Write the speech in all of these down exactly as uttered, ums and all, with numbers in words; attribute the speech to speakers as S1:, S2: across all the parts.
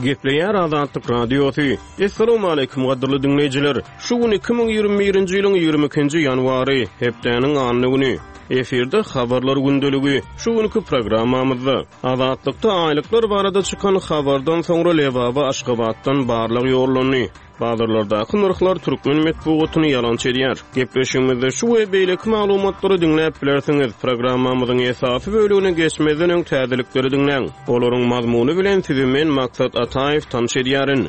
S1: Gepleýär Azatlyk Radiosy. Assalamualaikum gadyrly diňleýjiler. Şu gün iki müň ýigrimi birinji ýylyň ýigrimi ikinji ýanwary, hepdäniň anna güni. Efirde habarlar gündeligi. Şu günki programmamyzda Azatlykda aýlyklar barada çykan habardan soňra Lebaba Aşgabatdan barlag ýollandy. Bazarlardaky nyrhlar türkmen metbugatyny ýalançy edýär. Gepleşigimizde şu we beýleki maglumatlary diňläp bilersiňiz. Programmamyzyň esasy bölümine geçmezden öň täzelikleri diňläň. Olaryň mazmuny bilen sizi men Maksat Ataýew tanyş edýärin.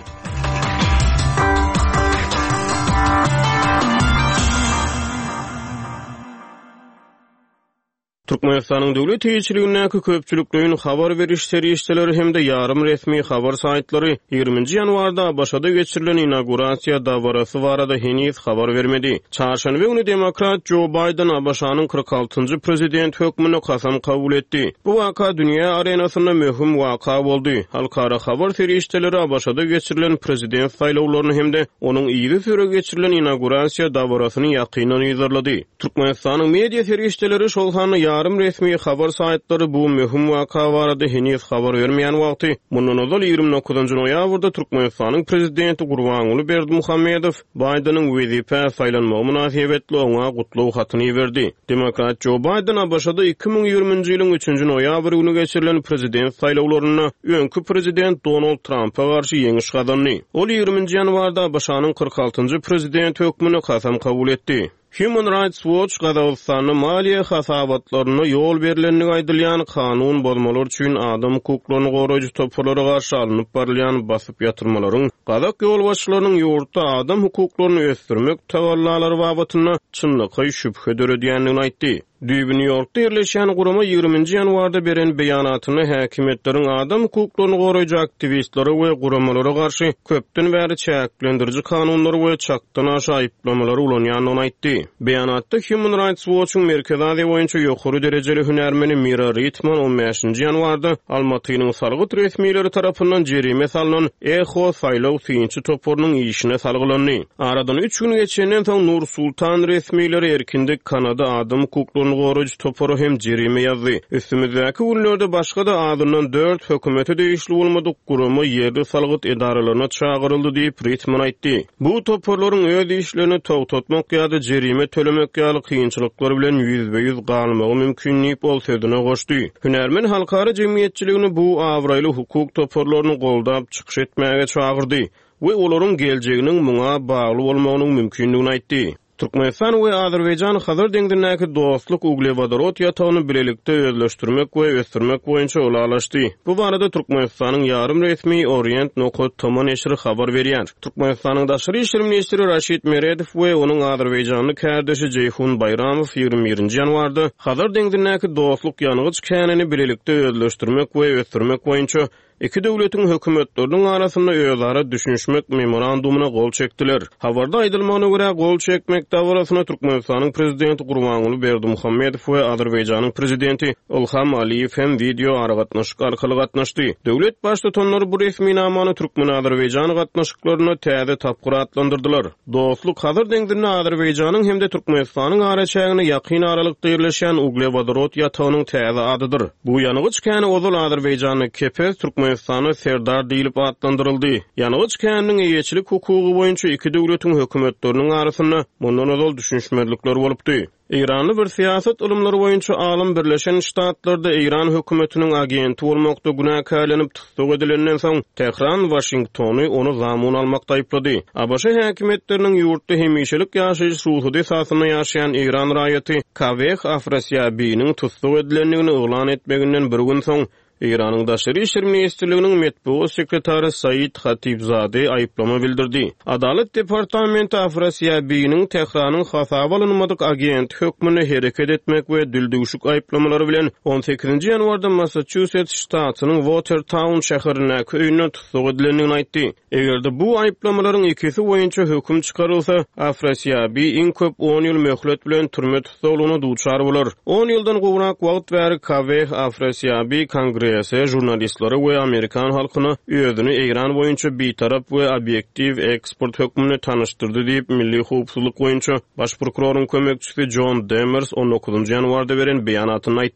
S1: Türkmenistanyň döwlet eýeçiligindäki köpçülikleýin habar beriş serişdeleri hem-de ýarym resmi habar saýtlary ýigriminji ýanwarda A B Ş-da geçirilen inaugurasiýa dabarasy barada heniz habar bermedi. Çarşenbe güni demokrat Joe Biden A B Ş-nyň kyrk altynjy prezident hökmünde kasam kabul etdi. Bu waka dünýä arenasynda möhüm waka boldy. Halkara habar serişdeleri A B Ş-da geçirilen prezident saýlawlaryny hem-de onuň ýygy süre geçirilen inaugurasiýa dabarasyny ýakyndan yzarlady. Türkmenistanyň media serişdeleri şol sanda ýarym resmi habar saýtlary bu möhüm waka barada heniz habar bermeýän wagty, mundan ozal ýigrimi dokuzynjy noýabrda Türkmenistanyň prezidenti Gurbanguly Berdimuhamedow Baýdeniň wezipä saýlanmagy mynasybetli oňa gutlag hatyny berdi. Demokrat Joe Biden A B Ş-da iki müň ýigriminji ýylyň üçünji noýabr güni geçirilen prezident saýlawlarynda öňki prezident Donald Trumpa garşy ýeňiş gazandy. Ol ýigriminji ýanwarda A B Ş-nyň kyrk altynjy prezidenti hökmünde kasam kabul etdi. Human Rights Watch Gazagystanda maliýe hasabatlarynda ýol berilendigi aýdylýan kanun bozmalar üçin adam hukuklaryny goraýjy toparlara garşy alnyp barylýan basyp ýatyrmalaryň Gazak ýolbaşçylarynyň ýurtda adam hukuklaryny ösdürmek tagallalary babatynda çynlakaý şübhe döredýändigini aýtdy. Düýbi New Yorkda ýerleşýän gurama ýigriminji ýanwarda beren beýanatynda häkimiýetleriň adam hukuklaryny goraýjy aktiwistlere we guramalara garşy köpden bäri çäklendiriji kanunlary we çakdan aşa aýyplamalary ulanýandygyny aýtdy. Beýanatda Human Rights Watch'yň Merkezi Aziýa boýunça ýokary derejeli hünärmeni Mira Ritman on bäşinji ýanwarda Almatynyň salgyt resmileri tarapyndan jerime salynan Eho saýlaw synçy toparynyň işine salgylandy. Aradan üç gün geçenden soň Nur Sultan resmileri erkinde Kanada adam hukuklaryny goraýjy topary hem jerime ýazdy. Üstümizdäki günlerde başga da adyndan dört hökümete degişli bolmadyk gurama ýerli salgyt edaralaryna çagyryldy diýip Ritman aýtdy. Bu toparlaryň öz işlerini togtatmak ýa-da jerime tölemek ýaly kynçylyklar bilen ýüzbe-ýüz galmagy mümkin diýip ol sözüne goşdy. Hünärmen halkara jemgyýetçiligini bu abraýly hukuk toparlaryny goldap çykyş etmäge çagyrdy we olaryň geljeginiň muňa bagly bolmagynyň mümkindigini aýtdy. Türkmenistan we Azerbaýjan Hazar deňzindäki dostluk uglewodorod ýatagyny bilelikde özleşdirmek we ösdürmek boýunça ylalaşdy. Bu barada Türkmenistanyň ýarym resmi Orient nokta tm neşiri habar berýär. Türkmenistanyň daşary işler ministri Raşid Meredow we onuň Azerbaýjanly kärdeşi Jeýhun Baýramow ýigrimi birinji ýanwarda Hazar deňzindäki dostluk ýangyç känini bilelikde özleşdirmek we ösdürmek boýunça iki döwletiň hökümetleriniň arasynda özara düşünişmek memorandumyna gol çekdiler. Habarda aýdylmagyna görä gol çekmek dabarasyna Türkmenistanyň prezidenti Gurbanguly Berdimuhamedow we Azerbaýjanyň prezidenti Ilham Aliýew hem wideo aragatnaşyk arkaly gatnaşdy. Döwlet baştutanlary bu resminamany Türkmen-Azerbaýjan gatnaşyklarynda täze tapgyr atlandyrdylar. Dostluk Hazar deňzinde Azerbaýjanyň hem-de Türkmenistanyň araçägine ýakyn aralykda ýerleşen uglewodorod ýatagynyň täze adydyr. Bu ýangyç käni ozal Azerbaýjanda Kepez, Türkmenistanda Serdar diýlip atlandyryldy. Ýangyç käniniň eýeçilik hukugy boýunça iki döwletiň hökümetleriniň arasynda mundan ozal düşünişmezlikler bolupdy. Eýranly bir syýasat ylymlary boýunça alym Birleşen Ştatlarda Eýran hökümetiniň agenti bolmakda günäkärlenip tussag edilenden soň Tehran Washingtony ony zamun almakda aýyplady. A B Ş häkimiýetleriniň ýurtda hemişelik ýaşaýyş rugsady esasynda ýaşaýan Eýran raýaty Kaweh Afrasiýabiniň tussag edilendigini yglan etmeginden bir gün soň Eýranyň Daşary İşler Ministrliginiň metbugat sekretary Said Hatibzade aýyplama bildirdi. Adalat Departamenti Afrasiýabiniň Tehranyň hasaba alynmadyk agenti hökmünde hereket etmek we dildüwşük aýyplamalary bilen on sekizinji ýanwarda Massachusetts ştatynyň Watertown şäherindäki öýünden tussag edilendigini aýtdy. Eger-de bu aýyplamalaryň ikisi boýunça höküm çykarylsa, Afrasiýabi iň köp on ýyl möhlet bilen türme tussaglygyna duçar bolar. On ýyldan gowrak wagt bäri Kaweh Afrasiýabi kongrese, jurnalistlere we Amerikan halkyna özüni Eýran boýunça bitarap we obyektiw ekspert hökmünde tanyşdyrdy diýip Milli howpsuzlyk boýunça baş prokuroryň kömekçisi John Demers on dokuzynjy ýanwarda beren beýanatynda aýtdy.